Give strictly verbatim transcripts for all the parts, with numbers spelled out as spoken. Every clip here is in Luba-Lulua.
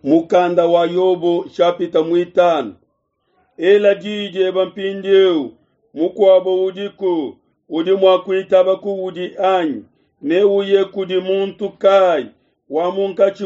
Mukanda wa Yobo shapita mwitano. Ela diyi dieba mpindieu, mukuabo udiku udi mua kuitaba kuudi anyi? Neuye kudi muntu kayi wa munkatshi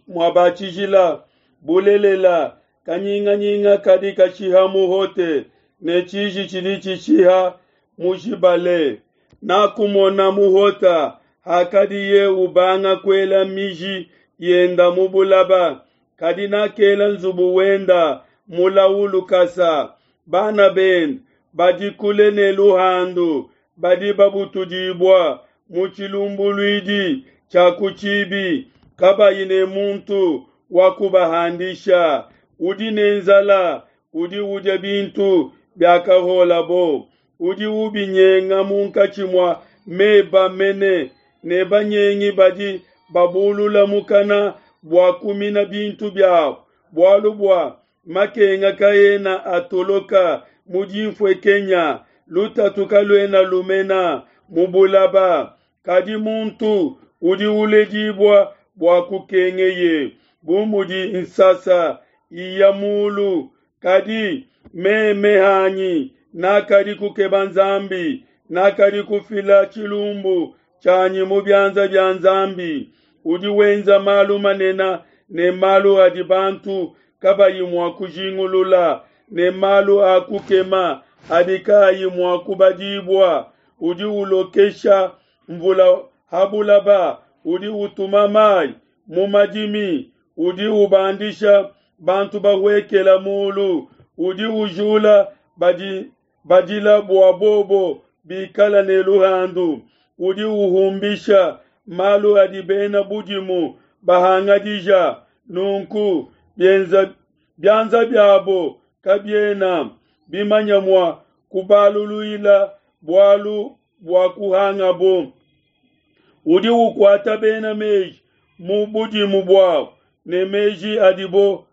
mua ba tshijila? Bulelela, kanyinganyinga kadi kashiha muhote, ne tshiji tshidi tshishiha mujibale. Nakumona muhota hakadiye ubanga kuela miji yenda mu bulaba, kadi nakela nzubu wenda mulau lukasa. Bana bende badi kule ne luhandu, badi babutudibua mu tshilumbuluidi tshia ku tshibi, kabayi ne muntu wa kubahandisha. Udi ne nzala udi udia bintu biakahuolabo, udi ubinyenga munkatshi mua meba mene, ne banyengi badi babulula mukana bua kumina bintu biabo. Bualu bua makenga kaena atoloka mu dinfuenkenya, lutatu kaluena lumena mu bulaba. Kadi muntu udi uledibua bua kukengeye, bu mudi nsasa iya mulu. Kadi meme hanyi nakadi kukeba Nzambi, nakadi kufila tshilumbu tshianyi mu bianza bia Nzambi. Udi wenza malu manene ne malu adi bantu kabayi mua kujingulula, ne malu a kukema adi kaayi mua kubadibua. Udi ulokesha mvula ha bulaba, udi utuma mai mu madimi, udi ubandisha bantu bahuekela mulu, udi ujula badi badila bua bobo bikala ne luhandu, udi uhumbisha malu adi bena budimu bahangadija. Nunku bienza bianza biabo kabiena bimanya mua kubaluluila bualu bua kuhangabo. Udi ukuata bena meji mu budimu buabo, ne meji adibo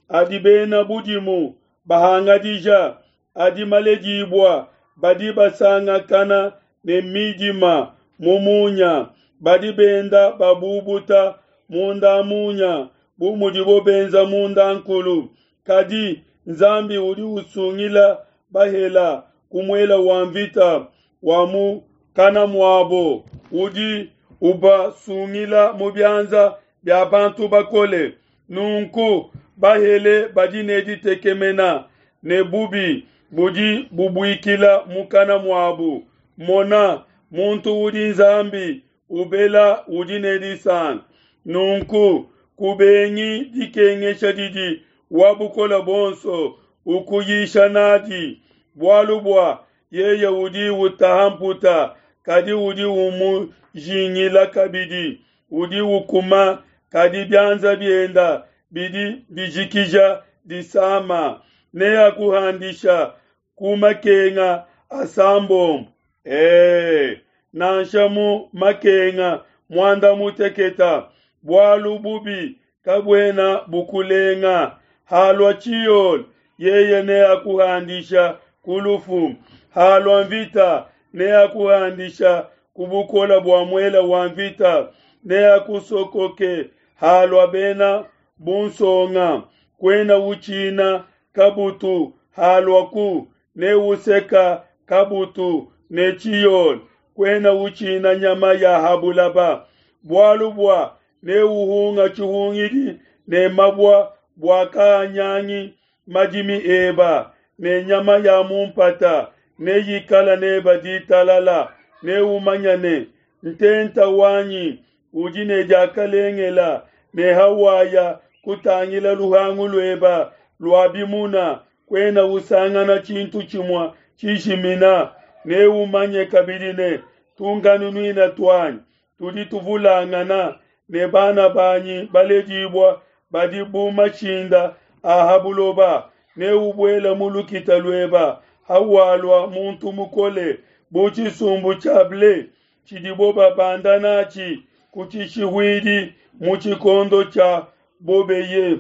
adi bena budimu bahangadija adi maledibua. Badi basangakana ne midima mu munya, badi benda babubuta munda munya bu mudibo benza munda nkulu. Kadi Nzambi udi usungila bahela ku muele wa mvita wa mu kana muabo, udi ubasungila mu bianza bia bantu bakole. Nunku bahele badi ne ditekemena, ne bubi budi bubuikila mukana muabu. Mona, muntu udi Nzambi ubela udi ne disanka. Nunku kubengi dikengesha didi wa bukole buonso ukuyisha nadi, bualu bua yeye udi utaha mputa, kadi udi umujingila kabidi, udi ukuma, kadi bianza bienda bidi bijikija disama. Neakuhandisha ku makenga asambombo, e, nansha mu makenga muanda muteketa. Bualu bubi kabuena bukulenga. Halua tshiole, yeye neakuhandisha ku lufu. Halua mvita, neakuhandisha ku bukole bua muele wa mvita. Neakusokoke halua bena bunsonga. Kuena utshina kabutu haluaku, neuseka kabutu ne tshiole. Kuena utshina nyama ya ha bulaba, bualu bua neuhunga tshihungidi ne mabua bua kaanyangi madimi eba, ne nyama ya mu mpata neyikala neba ditalala. Neumanye ne, ntenta wanyi udi ne diakalengela, ne hawaya kutangila luhangu lueba lua bimuna, kuena usangana tshintu tshimue tshijimina. Neumanye kabidi ne, tunkanunuina tuanyi tudi tuvulangana, ne bana banyi baledibua badi bu mashinda a ha buloba. Neubuele mu lukita lueba hawalua muntu mukole, bu tshisumbu tshia ble tshidibo babanda natshi ku tshishihuidi mu tshikondo tshia bobeye.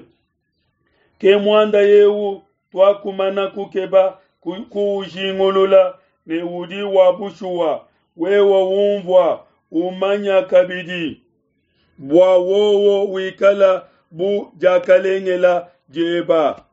Ke muanda eu tuakumana kukeba kuujingulula ne udi wa bushuwa. Wewe umvua umanya kabidi, bua wowo wikala bu diakalengela dieba.